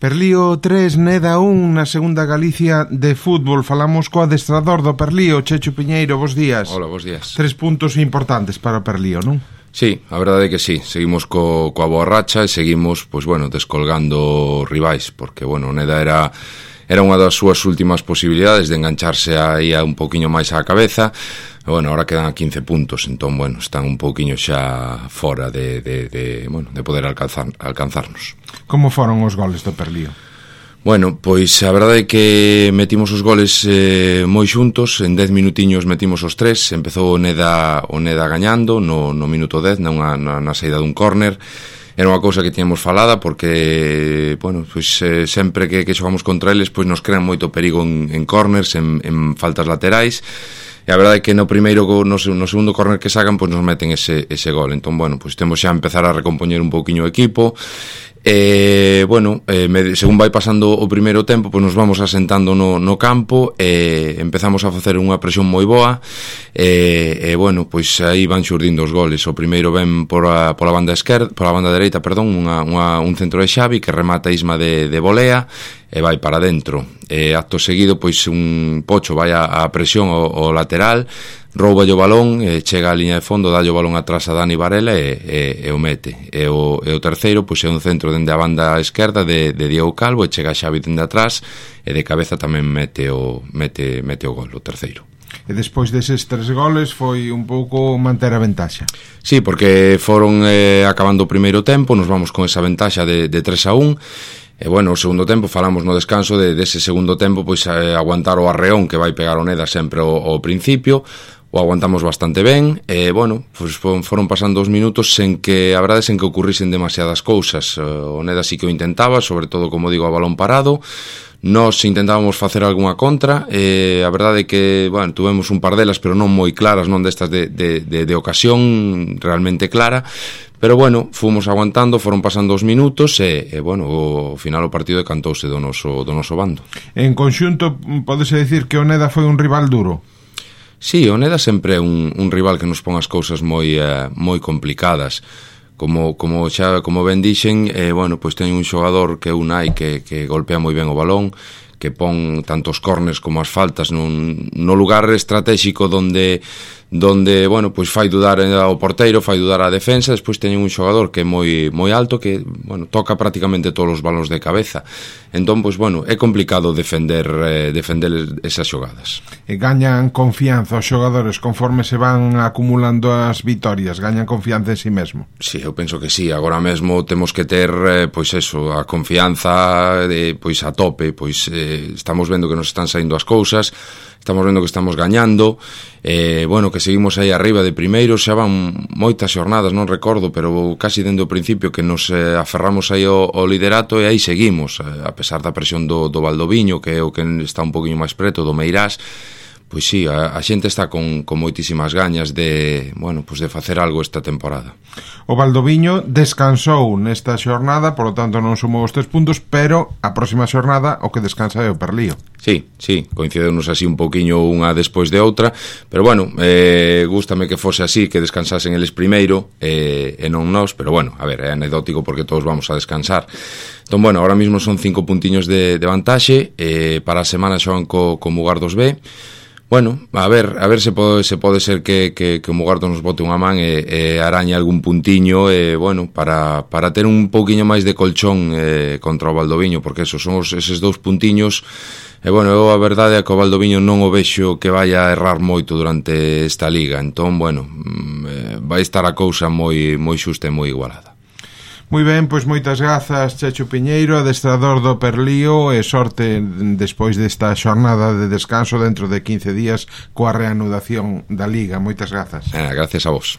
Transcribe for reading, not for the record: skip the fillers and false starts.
Perlío 3, Neda 1 na segunda Galicia de fútbol. Falamos co adestrador do Perlío, Chechu Piñeiro, bos días. Hola, bos días. 3 puntos importantes para o Perlío, non? Sí, a verdade é que sí, seguimos coa boa racha e seguimos, pois bueno, descolgando rivais, porque bueno, Neda era unha das súas últimas posibilidades de engancharse aí a un poquinho máis á cabeza. E bueno, ahora quedan a 15 puntos, entón bueno, están un poquinho xa fora de poder alcanzarnos. Como foron os goles do Perlío? Bueno, pois a verdade é que metimos os goles moi xuntos, en 10 minutiños metimos os 3, empezou o Neda gañando no minuto 10 na saída dun córner. Era unha cousa que tiñamos falada porque, bueno, pois sempre que xogamos contra eles, pois nos crean moito perigo en córners, en faltas laterais. E a verdade é que no segundo córner que sacan, pois nos meten ese gol. Entón, bueno, pois temos xa a empezar a recompoñer un pouquiño o equipo. Según vai pasando o primeiro tempo, pois nos vamos asentando no campo e empezamos a facer unha presión moi boa bueno, pois aí van xurdindo os goles. O primeiro ven pola banda dereita, un centro de Xavi que remata Isma de volea e vai para dentro. Acto seguido, pois un Pocho vai a presión ao lateral, rouba o balón, chega á liña de fondo, dá o balón atrás a Dani Varela e o mete. E o terceiro, pois é un centro dende a banda esquerda de Diego Calvo e chega a Xavi dende atrás e de cabeza tamén mete o gol, o terceiro. E despois deses 3 goles foi un pouco manter a ventaxa. Sí, porque foron acabando o primeiro tempo, nos vamos con esa ventaxa de 3-1. E bueno, o segundo tempo, falamos no descanso dese segundo tempo, pois aguantar o arreón que vai pegar o Neda sempre ao principio. O aguantamos bastante ben e, bueno, pois foron pasando os minutos sen que, a verdade, sen que ocurrisen demasiadas cousas. O Neda sí que o intentaba, sobre todo, como digo, a balón parado. Nós intentábamos facer algunha contra e a verdade é que, bueno, tuvemos un par delas, pero non moi claras, non destas de ocasión realmente clara. Pero, bueno, fomos aguantando, foron pasando os minutos e bueno, ao final o partido decantouse do noso bando. En conxunto, pódese dicir que o Neda foi un rival duro? Sí, o Neda sempre é un rival que nos pon as cousas moi complicadas. Como ben dixen, bueno, pois ten un xogador que é Unai que golpea moi ben o balón, que pon tanto os córners como as faltas no lugar estratégico donde bueno, pois fai dudar ao porteiro, fai dudar á defensa. Despois teñen un xogador que é moi alto, que, bueno, toca prácticamente todos os balóns de cabeza. Entón, pois, bueno, é complicado defender esas xogadas. E gañan confianza os xogadores conforme se van acumulando as vitorias, gañan confianza en si mesmo. Sí, eu penso que sí, agora mesmo temos que ter, pois eso, a confianza pois a tope, pois estamos vendo que nos están saindo as cousas, estamos vendo que estamos gañando, bueno, que seguimos aí arriba de primeiro, xa van moitas xornadas, non recordo, pero casi dende o principio que nos aferramos aí ao liderato e aí seguimos, a pesar da presión do Valdoviño, que é o que está un poquinho máis preto, do Meirás. Pois sí, a xente está con moitísimas gañas de, bueno, pois de facer algo esta temporada. O Valdoviño descansou nesta xornada, por lo tanto non sumou os 3 puntos, pero a próxima xornada o que descansa é o Perlío. Sí, coincidenos así un poquinho unha despois de outra, pero bueno, gústame que fose así, que descansasen eles primeiro e non nós, pero bueno, a ver, é anecdótico porque todos vamos a descansar. Entón, bueno, ahora mismo son 5 puntiños de vantaxe, para a semana xogan co Mugardos B. Bueno, a ver se pode ser que o Mugardos nos bote unha man e arañe algún puntiño, bueno, para ter un pouquiño máis de colchón contra o Valdoviño, porque esos son eses 2 puntiños. E bueno, eu a verdade é que o Valdoviño non o vexo que vai a errar moito durante esta liga. Entón, bueno, vai estar a cousa moi xusta e moi igualada. Moi ben, pois moitas grazas, Chechu Piñeiro, adestrador do Perlío, e sorte despois desta xornada de descanso dentro de 15 días coa reanudación da Liga. Moitas grazas. Gracias a vos.